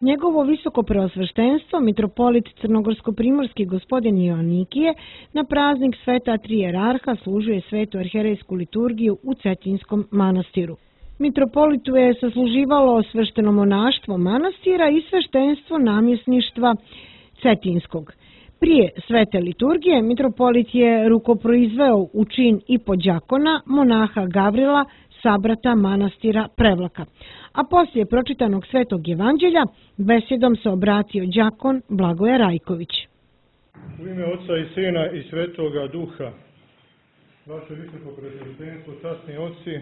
Njegovo visoko preosveštenstvo, mitropolit crnogorsko-primorski gospodin Joannikije, na praznik sveta tri jerarha služuje svetu arherejsku liturgiju u Cetinjskom manastiru. Mitropolitu je sasluživalo svešteno monaštvo manastira i sveštenstvo namjesništva Cetinjskog. Prije svete liturgije mitropolit je rukoproizveo u čin i podjakona monaha Gavrila, sabrata manastira Prevlaka, a poslije pročitanog svetog evanđelja besjedom se obratio đakon Blagoje Rajković. U ime Oca i Sina i Svetoga Duha, vaše visoko preosveštenstvo, časni oci,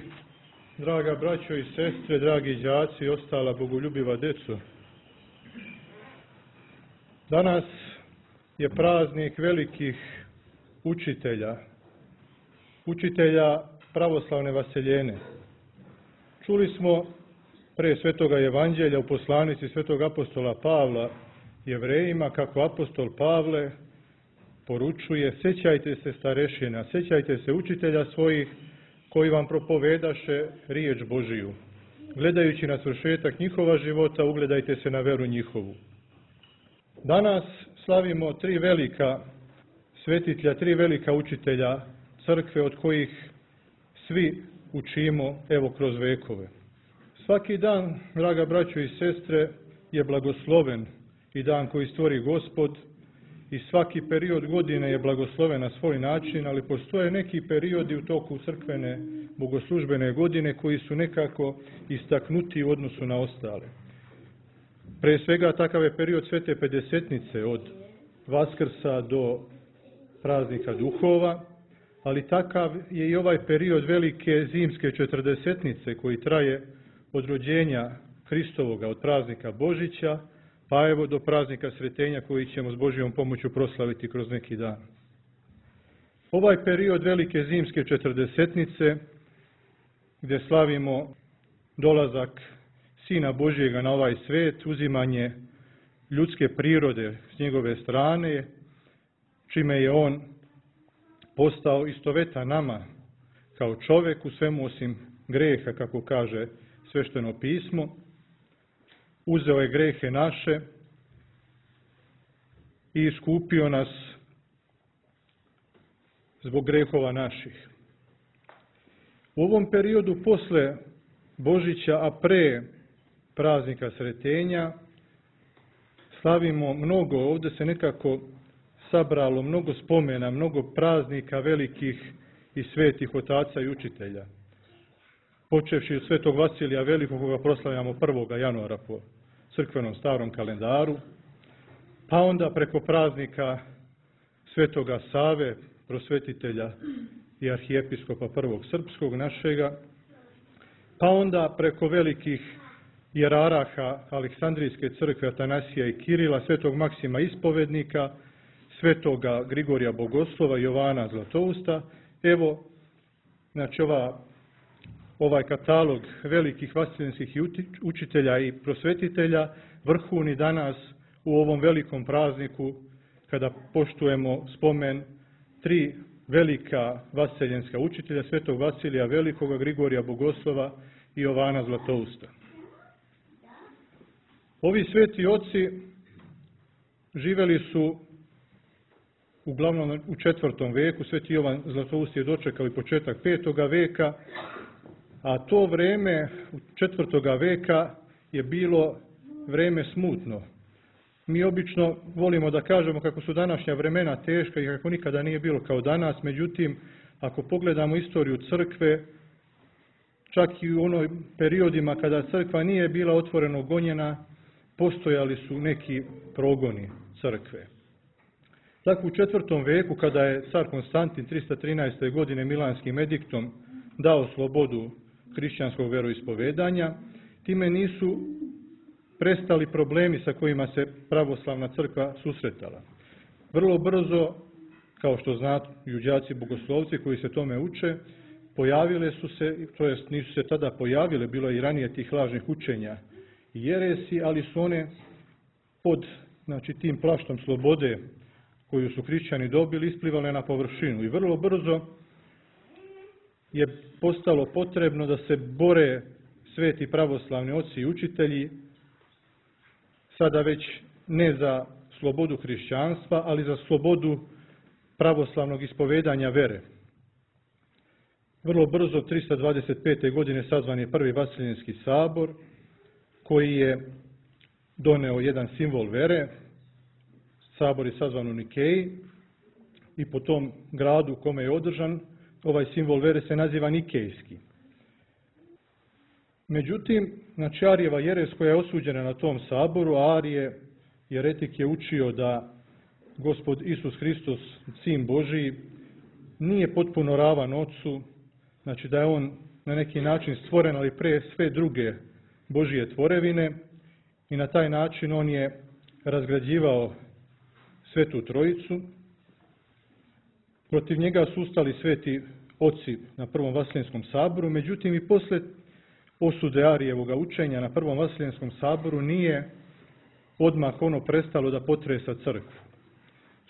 draga braćo i sestre, dragi đaci i ostala bogoljubiva deco. Danas je praznik velikih učitelja pravoslavne vaseljene. Čuli smo pre svetoga evanđelja u poslanici svetog apostola Pavla Jevrejima kako apostol Pavle poručuje: sjećajte se starešina, sjećajte se učitelja svojih koji vam propovedaše riječ Božiju. Gledajući na svršetak njihova života, ugledajte se na veru njihovu. Danas slavimo tri velika svetitelja, tri velika učitelja crkve od kojih svi učimo evo kroz vekove. Svaki dan, draga braćo i sestre, je blagosloven i dan koji stvori Gospod i svaki period godine je blagosloven na svoj način, ali postoje neki periodi u toku crkvene bogoslužbene godine koji su nekako istaknuti u odnosu na ostale. Pre svega takav je period Svete Pedesetnice od Vaskrsa do praznika duhova, ali takav je i ovaj period velike zimske četrdesetnice koji traje od rođenja Hristovoga, od praznika Božića, pa evo do praznika Sretenja koji ćemo s Božjom pomoću proslaviti kroz neki dan. Ovaj period velike zimske četrdesetnice, gdje slavimo dolazak Sina Božjega na ovaj svet, uzimanje ljudske prirode s njegove strane, čime je on postao istovetan nama kao čovjek u svemu osim greha, kako kaže svešteno pismo. Uzeo je grehe naše i iskupio nas zbog grehova naših. U ovom periodu posle Božića, a pre praznika Sretenja, slavimo mnogo, ovdje se nekako sabralo mnogo spomena, mnogo praznika velikih i svetih otaca i učitelja. Počevši od svetog Vasilija Velikog, koga proslavljamo 1. januara po crkvenom starom kalendaru, pa onda preko praznika svetoga Save, prosvetitelja i arhijepiskopa prvog srpskog našega, pa onda preko velikih jeraraha Aleksandrijske crkve Atanasija i Kirila, svetog Maksima Ispovednika, svetoga Grigorija Bogoslova, Jovana Zlatousta. Evo, znači ovaj katalog velikih vaseljenskih učitelja i prosvetitelja vrhuni danas u ovom velikom prazniku kada poštujemo spomen tri velika vaseljenska učitelja, svetog Vasilija Velikoga, Grigorija Bogoslova i Jovana Zlatousta. Ovi sveti oci živeli su uglavnom u 4. veku, sveti Jovan Zlatoust je dočekao i početak 5. veka, a to vreme 4. veka je bilo vreme smutno. Mi obično volimo da kažemo kako su današnja vremena teška i kako nikada nije bilo kao danas, međutim, ako pogledamo istoriju crkve, čak i u onoj periodima kada crkva nije bila otvoreno gonjena, postojali su neki progoni crkve. Tako u 4. veku, kada je car Konstantin 313. godine Milanskim ediktom dao slobodu hrišćanskog veroispovedanja, time nisu prestali problemi sa kojima se pravoslavna crkva susretala. Vrlo brzo, kao što znaju đaci bogoslovci koji se tome uče, pojavile su se, to jest nisu se tada pojavile, bilo je i ranije tih lažnih učenja i jeresi, ali su one pod tim plaštom slobode koju su hrišćani dobili isplivale na površinu. I vrlo brzo je postalo potrebno da se bore sveti pravoslavni oci i učitelji sada već ne za slobodu hrišćanstva, ali za slobodu pravoslavnog ispovedanja vere. Vrlo brzo, 325. godine, sazvan je prvi Vaseljenski sabor, koji je doneo jedan simbol vere. Sabor je sazvan u Nikeji i po tom gradu u kome je održan, ovaj simbol vere se naziva Nikejski. Međutim, znači Arijeva jeres koja je osuđena na tom saboru, Arije, jeretik je učio da Gospod Isus Hristos, Sin Božiji, nije potpuno ravan Otcu, znači da je on na neki način stvoren, ali pre sve druge Božije tvorevine, i na taj način on je razgrađivao Svetu Trojicu. Protiv njega su ustali sveti oci na prvom Vaseljenskom saboru, međutim i posle osude Arijevoga učenja na prvom Vaseljenskom saboru nije odmah ono prestalo da potresa crkvu.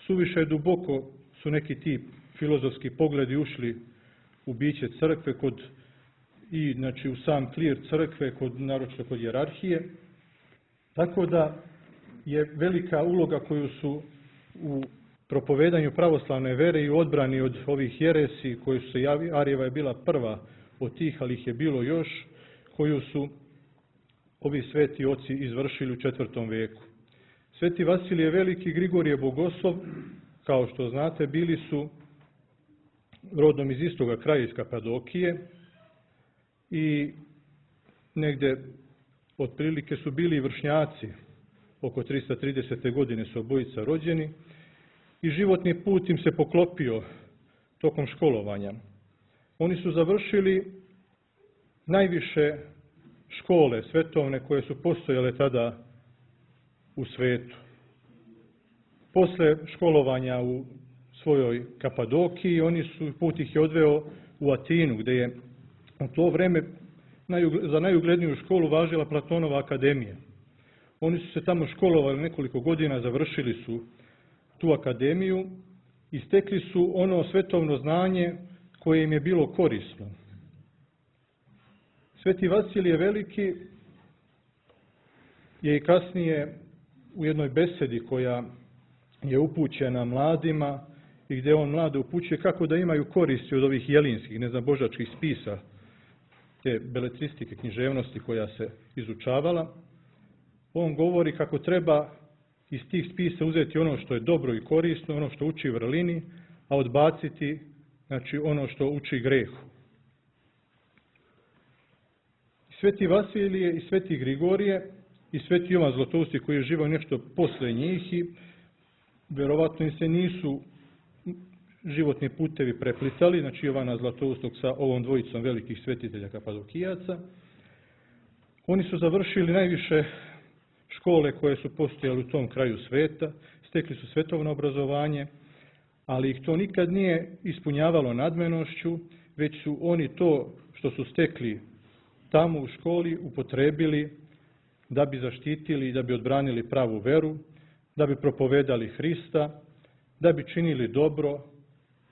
Suviše duboko su neki ti filozofski pogledi ušli u biće crkve i znači u sam klir crkve, naročito kod hijerarhije, tako da je velika uloga koju su u propovedanju pravoslavne vere i u odbrani od ovih jeresi, koji su se javili, Arijeva je bila prva od tih, ali ih je bilo još, koju su ovi sveti oci izvršili u 4. veku. Sveti Vasilije Veliki, Grigorije Bogoslov, kao što znate, bili su rodom iz istoga kraja, iz Kapadokije, i negde otprilike su bili vršnjaci, oko 330. godine su obojica rođeni, i životni put im se poklopio tokom školovanja. Oni su završili najviše škole svetovne koje su postojale tada u svetu. Posle školovanja u svojoj Kapadokiji, put ih je odveo u Atinu, gde je u to vreme za najugledniju školu važila Platonova akademija. Oni su se tamo školovali nekoliko godina, završili su tu akademiju i stekli su ono svetovno znanje koje im je bilo korisno. Sveti Vasilije Veliki je i kasnije u jednoj besedi koja je upućena mladima i gdje on mlade upućuje kako da imaju koristi od ovih jelinskih, božačkih spisa, te beletristike, književnosti koja se izučavala. On govori kako treba iz tih spisa uzeti ono što je dobro i korisno, ono što uči vrlini, a odbaciti znači ono što uči grehu. Sveti Vasilije i sveti Grigorije i sveti Jovan Zlatousti, koji je živao nešto posle njih, i verovatno im se nisu životni putevi preplitali, znači Jovana Zlatoustog sa ovom dvojicom velikih svetitelja Kapadokijaca. Oni su završili najviše škole koje su postojale u tom kraju sveta, stekli su svetovno obrazovanje, ali ih to nikad nije ispunjavalo nadmenošću, već su oni to što su stekli tamo u školi upotrebili da bi zaštitili i da bi odbranili pravu veru, da bi propovedali Hrista, da bi činili dobro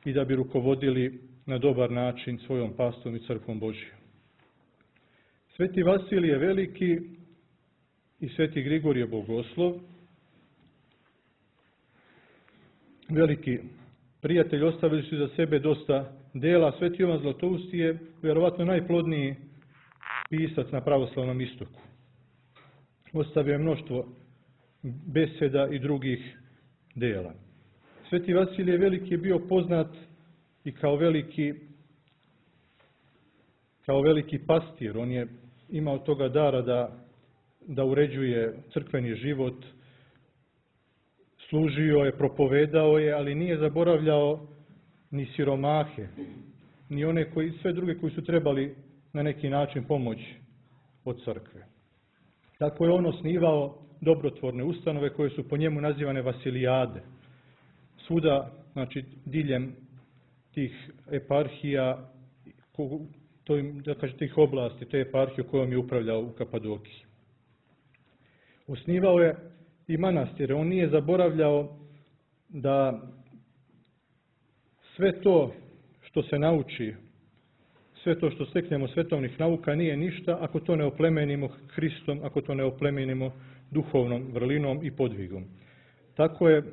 i da bi rukovodili na dobar način svojom pastom i crkvom Božijom. Sveti Vasilije Veliki i sveti Grigorije Bogoslov, veliki prijatelji, ostavili su za sebe dosta dela. Sveti Jovan Zlatousti je vjerovatno najplodniji pisac na pravoslavnom istoku. Ostavio je mnoštvo beseda i drugih dela. Sveti Vasilije Veliki je bio poznat i kao veliki pastir. On je imao toga dara da uređuje crkveni život, služio je, propovedao je, ali nije zaboravljao ni siromahe, ni one sve druge koji su trebali na neki način pomoć od crkve. Tako je on osnivao dobrotvorne ustanove koje su po njemu nazivane Vasilijade. Svuda, znači diljem tih eparhija, tih oblasti, te eparhije kojom je upravljao u Kapadokiji. Osnivao je i manastire. On nije zaboravljao da sve to što se nauči, sve to što steknemo svetovnih nauka nije ništa ako to ne oplemenimo Hristom, ako to ne oplemenimo duhovnom vrlinom i podvigom. Tako je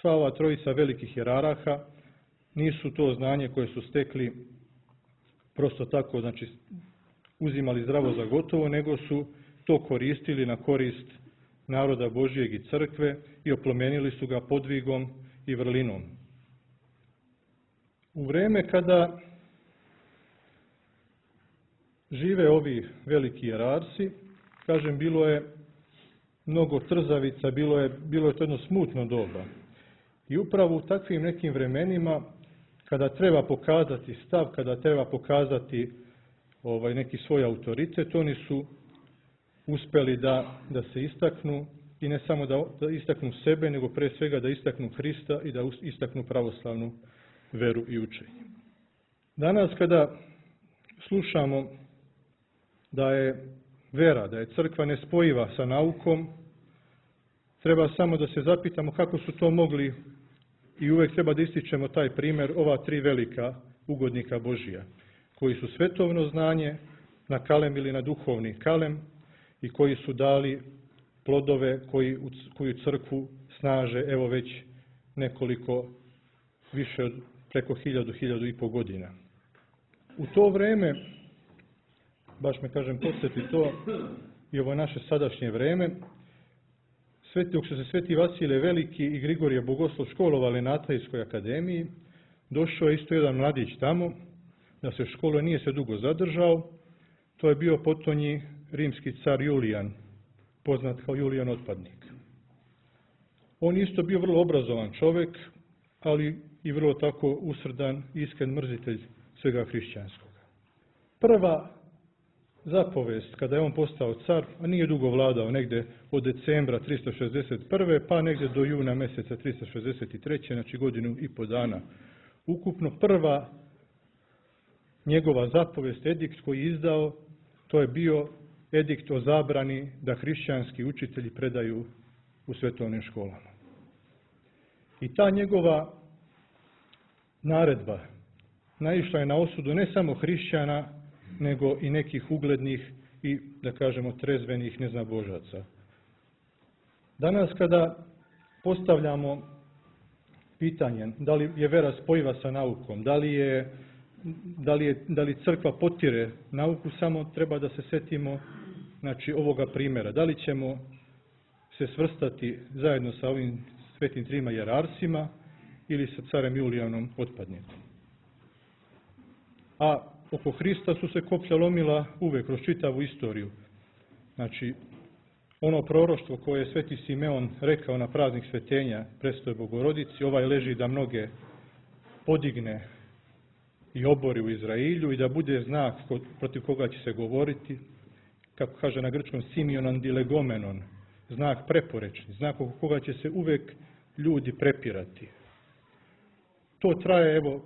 sva ova trojica velikih jeraraha, nisu to znanje koje su stekli prosto tako, znači uzimali zdravo za gotovo, nego su to koristili na korist naroda Božijeg i crkve i oplemenili su ga podvigom i vrlinom. U vreme kada žive ovi veliki jerarsi, kažem, bilo je mnogo trzavica, bilo je to jedno smutno doba. I upravo u takvim nekim vremenima, kada treba pokazati stav, kada treba pokazati neki svoj autoritet, oni su uspeli da se istaknu i ne samo da istaknu sebe, nego pre svega da istaknu Hrista i da istaknu pravoslavnu veru i učenje. Danas kada slušamo da je vera, da je crkva nespojiva sa naukom, treba samo da se zapitamo kako su to mogli, i uvek treba da ističemo taj primjer ova tri velika ugodnika Božija, koji su svetovno znanje nakalemili na duhovni kalem i koji su dali plodove koju crkvu snaže evo već nekoliko, više od preko 1000-1500 godina. U to vreme, baš me kažem podsjeti to i ovo naše sadašnje vreme, dok su se Sveti Vasilije Veliki i Grigorije Bogoslov školovali na Atajskoj akademiji, došao je isto jedan mladić tamo, da se školuje, nije se dugo zadržao. To je bio potonji rimski car Julijan, poznat kao Julijan Otpadnik. On isto bio vrlo obrazovan čovjek, ali i vrlo tako usrdan, iskren mrzitelj svega hrišćanskog. Prva zapovest, kada je on postao car, a nije dugo vladao, negde od decembra 361. pa negde do juna meseca 363. znači godinu i po dana. Ukupno prva njegova zapovest, edikt koji je izdao, to je bio edikt o zabrani da hrišćanski učitelji predaju u svetovnim školama. I ta njegova naredba naišla je na osudu ne samo hrišćana, nego i nekih uglednih i, da kažemo, trezvenih neznabožaca. Danas kada postavljamo pitanje da li je vera spojiva sa naukom, da li crkva potire nauku, samo treba da se setimo ovoga primjera. Da li ćemo se svrstati zajedno sa ovim svetim trima jerarsima ili sa carem Julijanom Otpadnikom. A oko Hrista su se koplja lomila uvek kroz čitavu istoriju. Znači, ono proroštvo koje je sveti Simeon rekao na praznik svetenja Prestoj Bogorodici, ovaj leži da mnoge podigne i obori u Izrailju i da bude znak protiv koga će se govoriti, kako kaže na grčkom Simionan dilegomenon, znak preporečni, znak oko koga će se uvek ljudi prepirati. To traje evo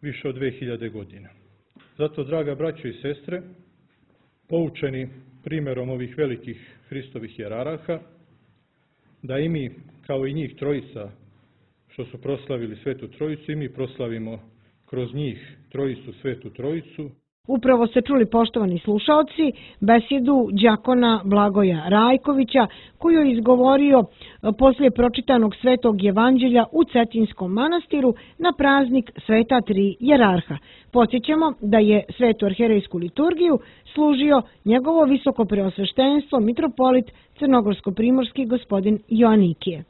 više od 2000 godina. Zato, draga braćo i sestre, poučeni primjerom ovih velikih Hristovih jeraraha, da i mi, kao i njih trojica, što su proslavili Svetu Trojicu, i mi proslavimo kroz njih trojicu, Svetu Trojicu. Upravo ste čuli, poštovani slušaoci, besedu đakona Blagoja Rajkovića, koju je izgovorio poslije pročitanog Svetog Evanđelja u Cetinjskom manastiru na praznik Sveta tri jerarha. Podsjećamo da je Svetu arherejsku liturgiju služio njegovo visoko preosveštenstvo mitropolit crnogorsko-primorski gospodin Joanikije.